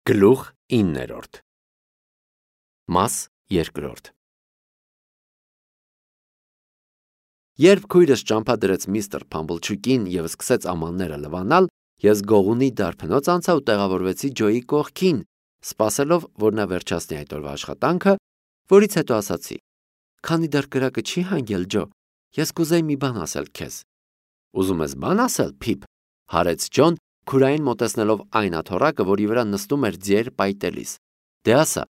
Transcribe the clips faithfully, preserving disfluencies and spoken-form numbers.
Գլուխ իններորդ Մաս երկրորդ Երբ քույրս ճամփա դրեց միստր Փամբլչուկին և սկսեց ամանները լվանալ, ես գողունի դարբնոց անցա ու տեղավորվեցի Ջոյի կողքին, սպասելով, որ նա վերջացնի այդ օրվա աշխատանքը, որից հետո ասացի. «Քանի դեռ կրակը չի հանգել, Ջո, ես կուզեի մի բան ասել քեզ»։ «Ուզում ես բան ասել, Փիփ», հարեց Ջոն, քուրային մոտեցնելով այն աթոռակը, որի վրա նստում էր ձիեր պայտելիս։ «Դե ասա,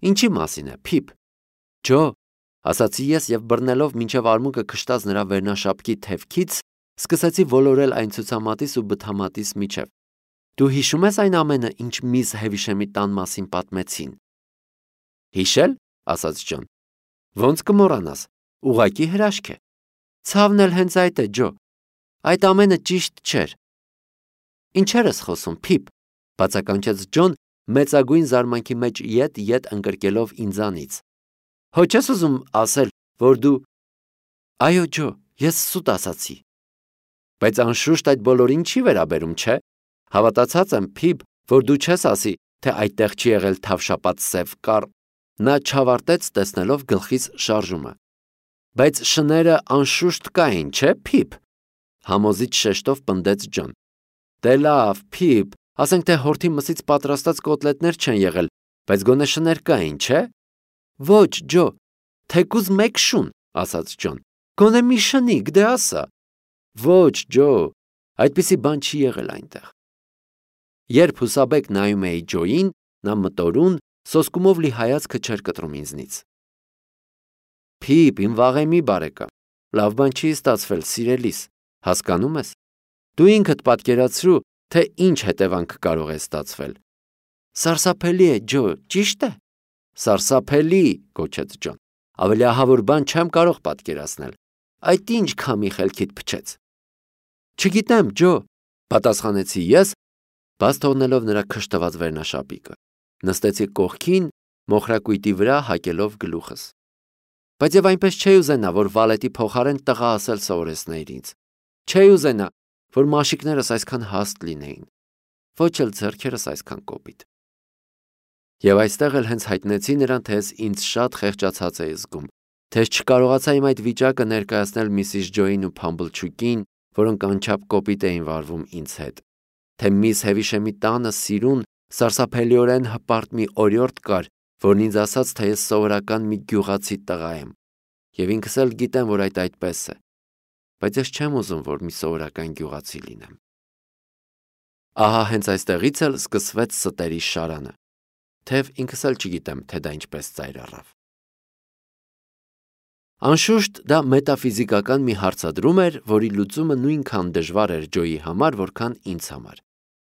ինչի մասին է, Փիփ»։ «Ջո», ասացի ես և բռնելով մինչև արմունկը քշտած նրա վերնաշապկի թևքից, սկսեցի ոլորել այն ցուցամատիս ու բթամատիս միջև։ «Դու հիշում ես այն ամենը, ինչ միզ Հեվիշեմի տան մասին պատմեցին»։ «Հիշել», ասաց Ջոն։ «Ոնց կմոռանաս, ուղղակի հրաշք է»։ «Ցավն էլ հենց այդ է, Ջո, այդ ամենը ճիշտ չէր»։ «Ինչեր ես խոսում, Փիփ», բացականչեց Ջոն, մեծագույն զարմանքի մեջ ետ-ետ ընկրկելով ինձանից։ «Հո չես ուզում ասել, որ դու…» «Այո, Ջո, ես սուտ ասացի»։ «Բայց անշուշտ այդ բոլորին չի վերաբերում, չէ՞։ Հավատացած եմ, Փիփ, որ դու չես ասի, թե այդտեղ չի եղել թավշապած սև կառ…»։ Նա չավարտեց, տեսնելով գլխիս շարժումը։ «Բայց շները անշուշտ կային, չէ՞, Փիփ», համոզիչ շեշտով պնդեց Ջոն։ «Դե լավ, Փիփ, ասենք թե հորթի մսից պատրաստած կոտլետներ չեն եղել, բայց գոնե շներ կային, չէ՞։ «Ոչ, Ջո, թեկուզ մեկ շուն», ասաց Ջոն։ «Գոնե մի շնիկ, դե ասա»։ «Ոչ, Ջո, այդպիսի բան չի եղել այնտեղ»։ Երբ հուսաբեկ նայում էի Ջոյին, նա մտորուն, սոսկումով լի հայացքը չէր կտրում ինձնից։ «Փիփ, իմ վաղեմի բարեկամ, լավ բան չի ստացվել, սիրելիս, հասկանում ես։ Դու ինքդ պատկերացրու, թե ինչ հետևանք կարող է ստացվել»։ «Սարսափելի է, Ջո, ճիշտ է»։ «Սարսափելի», գոչեց Ջոն, «ավելի ահավոր բան չեմ կարող պատկերացնել։ Այդ ինչ քամի խելքիդ փչեց»։ «Չգիտեմ, Ջո», պատասխանեցի ես, բաց թողնելով նրա քշտված վերնաշապիկը։ Նստեցի կողքին, մոխրակույտի վրա հակելով գլուխս։ Բայց եւ այնպես չէի ուզենա, որ վալետի փոխարեն տղա ասել սովորեցնեիր ինձ։ Չէի ուզենա, որ մաշիկներս այսքան հաստ լինեին, ոչ էլ ձեռքերս այսքան կոպիտ։ Եվ այստեղ էլ հենց հայտնեցի նրան, թե ես ինձ շատ խեղճացած էի զգում, թե ես չկարողացա իմ այդ վիճակը ներկայացնել միսիս Ջոյին ու Փամբլչուկին, որոնք անչափ կոպիտ էին վարվում ինձ հետ, թե միս Հեվիշեմի տանը սիրուն, սարսափելիորեն հպարտ մի օրիորդ կար, որն ինձ ասաց, թե ես սովորական մի գյուղացի տղա եմ, եւ ինքս էլ գիտեմ, որ այդ այդպես է, բայց ես չեմ ուզում, որ մի սովորական գյուղացի լինեմ։ Ահա հենց այստեղից էլ սկսվեց ստերի շարանը, թեև ինքս էլ չգիտեմ, թե դա ինչպես ծայր առավ։ Անշուշտ դա մետաֆիզիկական մի հարցադրում էր, որի լուծումը նույնքան դժվար էր Ջոյի համար, որքան ինձ համար։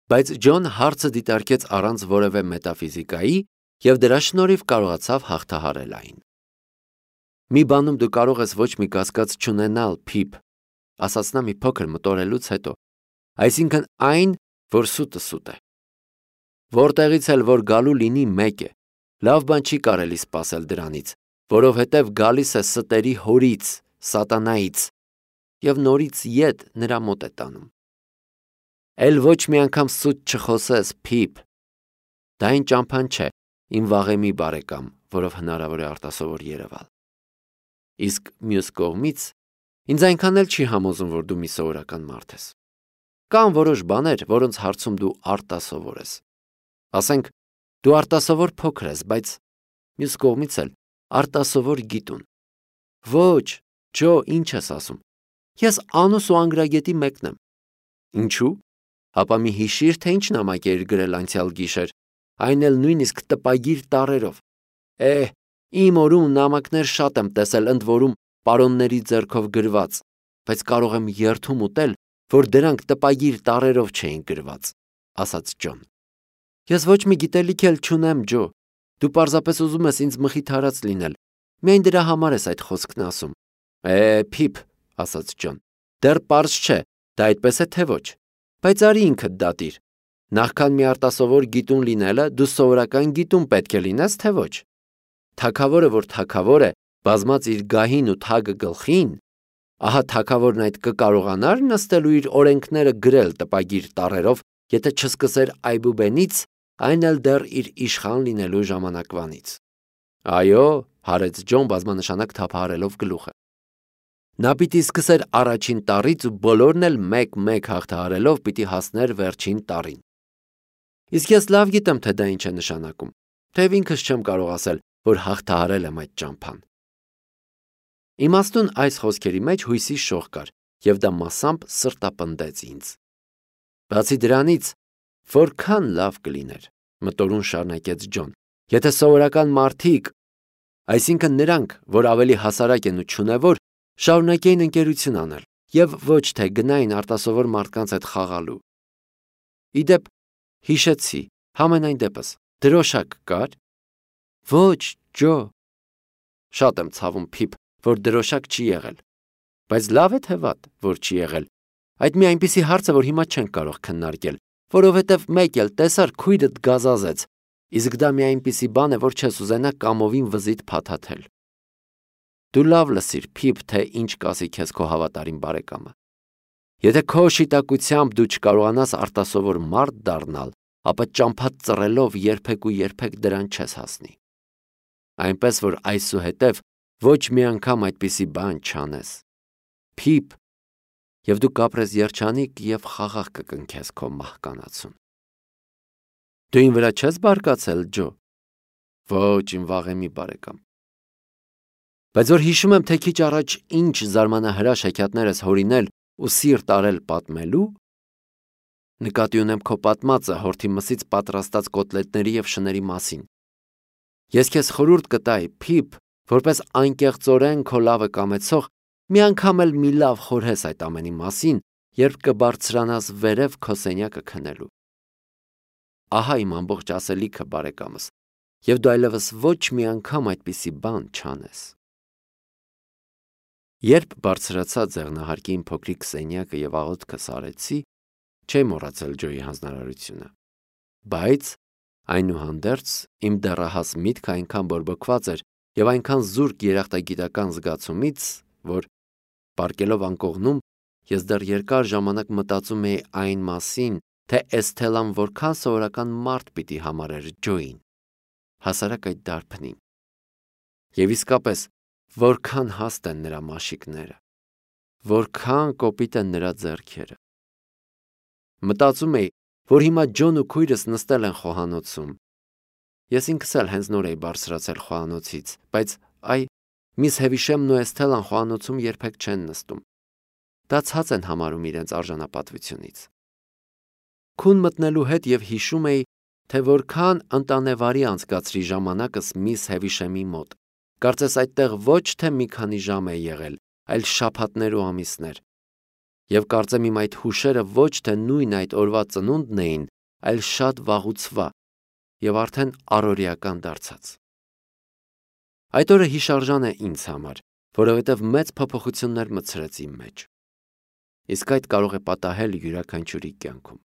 Բայց Ջոն հարցը դիտարկեց առանց որևէ մետաֆիզիկայի և դրա շնորհիվ կարողացավ հաղթահարել այն։ «Մի բանում դու կարող ես ոչ մի կասկած չունենալ, Փիփ», ասաց նա մի փոքր մտորելուց հետո, «այսինքն այն, որ սուտը սուտ է։ Որտեղից էլ որ գալու լինի մեկ է, լավ բան չի կարելի սպասել դրանից, որովհետև գալիս է ստերի հորից, սատանայից, և նորից ետ նրա մոտ է տանում։ Էլ ոչ մի անգամ սուտ չխոսես, Փիփ։ Դա այն ճամփան չէ, իմ վաղեմի բարեկամ, որով հնարավոր է արտասովոր երևալ։ Իսկ մյուս կողմից, ինձ այնքան էլ չի համոզում, որ դու մի սովորական մարդ ես։ Կան որոշ բաներ, որոնց հարցում դու արտասովոր ես։ Ասենք, դու արտասովոր փոքր ես, բայց մյուս կողմից էլ արտասովոր գիտուն։ Ոչ, Ջո, ինչ ես ասում։ Ես անուս ու անգրագետի մեկն եմ։ Ինչու՞։ Հապա մի հիշիր, թե ինչ նամակ էիր գրել անցյալ գիշեր, այն էլ նույնիսկ տպագիր տառերով։ Էհ, իմ օրում նամակներ շատ եմ տեսել, ընդ որում պարոնների ձեռքով գրված, բայց կարող եմ երդում ուտել, որ դրանք տպագիր տառերով չէին գրված, ասաց Ջոն։ Ես ոչ մի գիտելիք էլ չունեմ, Ջո, դու պարզապես ուզում ես ինձ մխիթարած լինել, միայն դրա համար ես այդ խոսքն ասում։ Է, Փիփ, ասաց Ջոն, դեռ պարզ չէ, դա այդպես է թե ոչ, բայց արի ինքդ դատիր։ Նախքան մի արտասովոր գիտուն լինելը, դու սովորական գիտուն պետք է լինես, թե ոչ։ Թագավորը, որ թագավոր է, բազմած իր գահին ու թագը գլխին, ահա թագավորն այդ կկարողանար նստել ու իր օրենքները գրել տպագիր տառերով, եթե չսկսեր այբուբենից այն էլ դեռ իր իշխան լինելու ժամանակվանից։ Այո, հարեց Ջոն բազմանշանակ թափահարելով գլուխը։ Նա պիտի սկսեր առաջին տառից ու բոլորն էլ մեկ-մեկ հաղթահարելով պիտի հասներ վերջին տառին։ Իսկ ես լավ գիտեմ, թե դա ինչ է նշանակում, թեև ինքս չեմ կարող ասել, որ հաղթահարել եմ այդ ճամփան։ Իմաստուն այս խոսքերի մեջ հույսի շող կար, եւ դա մասամբ սրտապնդեց ինձ։ Բացի դրանից, որքան լավ կլիներ, մտորուն շարունակեց Ջոն, եթե սովորական մարդիկ, այսինքն նրանք, որ ավելի հասարակ են ու չունևոր, շարունակեին ընկերություն անել եւ ոչ թե գնային արտասովոր մարդկանց հետ խաղալու։ Իդեպ հիշեցի, համենայն դեպս, դրոշակ կար։ Ոչ, Ջո։ Շատ եմ ցավում, Փիփ, որ դրոշակ չի եղել, բայց լավ է թե վատ, որ չի եղել։ Այդ մի այնպիսի հարց է, որ հիմա չենք կարող քննարկել, որովհետև մեկ էլ տեսար քույրդ գազազեց, իսկ դա մի այնպիսի բան է, որ չես ուզենա կամովին վզիդ փաթաթել։ Դու լավ լսիր, Փիփ, թե ինչ կասի քեզ քո հավատարիմ բարեկամը։ Եթե քո շիտակությամբ դու չկարողանաս արտասովոր մարդ դառնալ, ապա ճամփա ծռելով երբեք ու երբեք դրան չես հասնի։ Այնպես որ այսուհետև ոչ մի անգամ այդպիսի բան չանես։ Փիփ, եւ դու կապրես երջանիկ եւ խաղաղ կկնքես քո մահկանացուն։ Դու ին վրա չես բարկացել, Ջո։ Ոչ, իմ վաղեմի բարեկամ։ Բայց որ հիշում եմ, թե քիչ առաջ ինչ զարմանահրաշ հեքիաթներ ես հորինել ու սիրտ արել պատմելու, նկատի ունեմ քո պատմածը հորթի մսից պատրաստած կոտլետների եւ շների մասին։ Ես քեզ խորհուրդ կտայի, Փիփ, որպես անկեղծորեն քո լավը կամեցող, մի անգամ էլ մի լավ խորհես այդ ամենի մասին, երբ կբարձրանաս վերև քո սենյակը քնելու։ Ահա իմ ամբողջ ասելիքը, բարեկամս, եւ դու այլևս ոչ մի անգամ այդպիսի բան չանես։ Երբ բարձրացա ձեղնահարկի իմ փոքրիկ սենյակը եւ աղոթքը սարեցի, չէի մոռացել Ջոյի հանձնարարությունը։ Բայց այնուհանդերձ իմ դեռահաս միտքը այնքան բորբոքված էր եւ այնքան զուրկ երախտագիտական զգացումից, որ պարկելով անկողնում ես դեռ երկար ժամանակ մտածում էի այն մասին, թե Էսթելան որքան սովորական մարդ պիտի համարեր Ջոյին, հասարակ այդ դարբնին։ Եվ իսկապես որքան հաստ են նրա մաշիկները, որքան կոպիտ են նրա ձեռքերը։ Մտածում էի, որ հիմա Ջոն ու քույրս նստել են խոհանոցում։ Ես ինքս էլ հենց նոր էի բարձրացել խոհանոցից, բայց այ միս Հևիշեմն ու Էսթելան խոհանոցում երբեք չեն նստում։ Դա ցած են համարում իրենց արժանապատվությունից։ Քուն մտնելու հետ եւ հիշում էի, թե որքան ընտանեվարի անցկացրի ժամանակս միս Հևիշեմի մոտ։ Կարծես այդտեղ ոչ թե մի քանի ժամ է եղել, այլ շաբաթներ ու ամիսներ։ Եվ կարծեմ իմ այդ հուշերը ոչ թե նույն այդ օրվա ծնունդն էին, այլ շատ վաղուցվա եւ արդեն առօրեական դարձած։ Այդ օրը հիշարժան է ինձ համար, որովհետեւ մեծ փոփոխություններ մտցրեց իմ մեջ։ Իսկ այդ կարող է պատահել յուրաքանչյուրի կյանքում։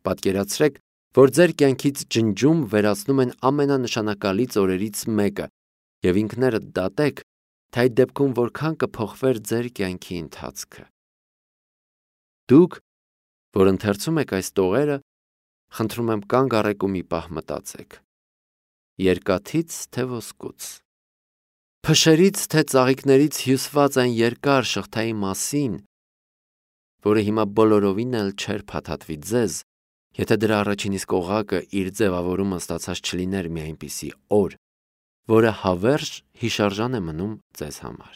Պատկերացրեք, որ ձեր կյանքից ջնջում վերացնում են ամենանշանակալից օրերից մեկը, եւ ինքներդ դատեք, թե այդ դեպքում որքան կփոխվեր ձեր կյանքի ընթացքը։ Դուք, որ ընթերցում եք այս տողերը, խնդրում եմ կանգ առեք ու մի պահ մտածեք։ Երկաթից թե ոսկուց, փշերից թե ծաղիկներից հյուսված այն երկար շղթայի մասին, որը հիմա բոլորովին էլ չէր փաթաթվի ձեզ, եթե դրա առաջին իսկ օղակը իր ձևավորումը ստացած չլիներ մի այնպիսի օր, որը հավերժ հիշարժան է մնում ձեզ համար։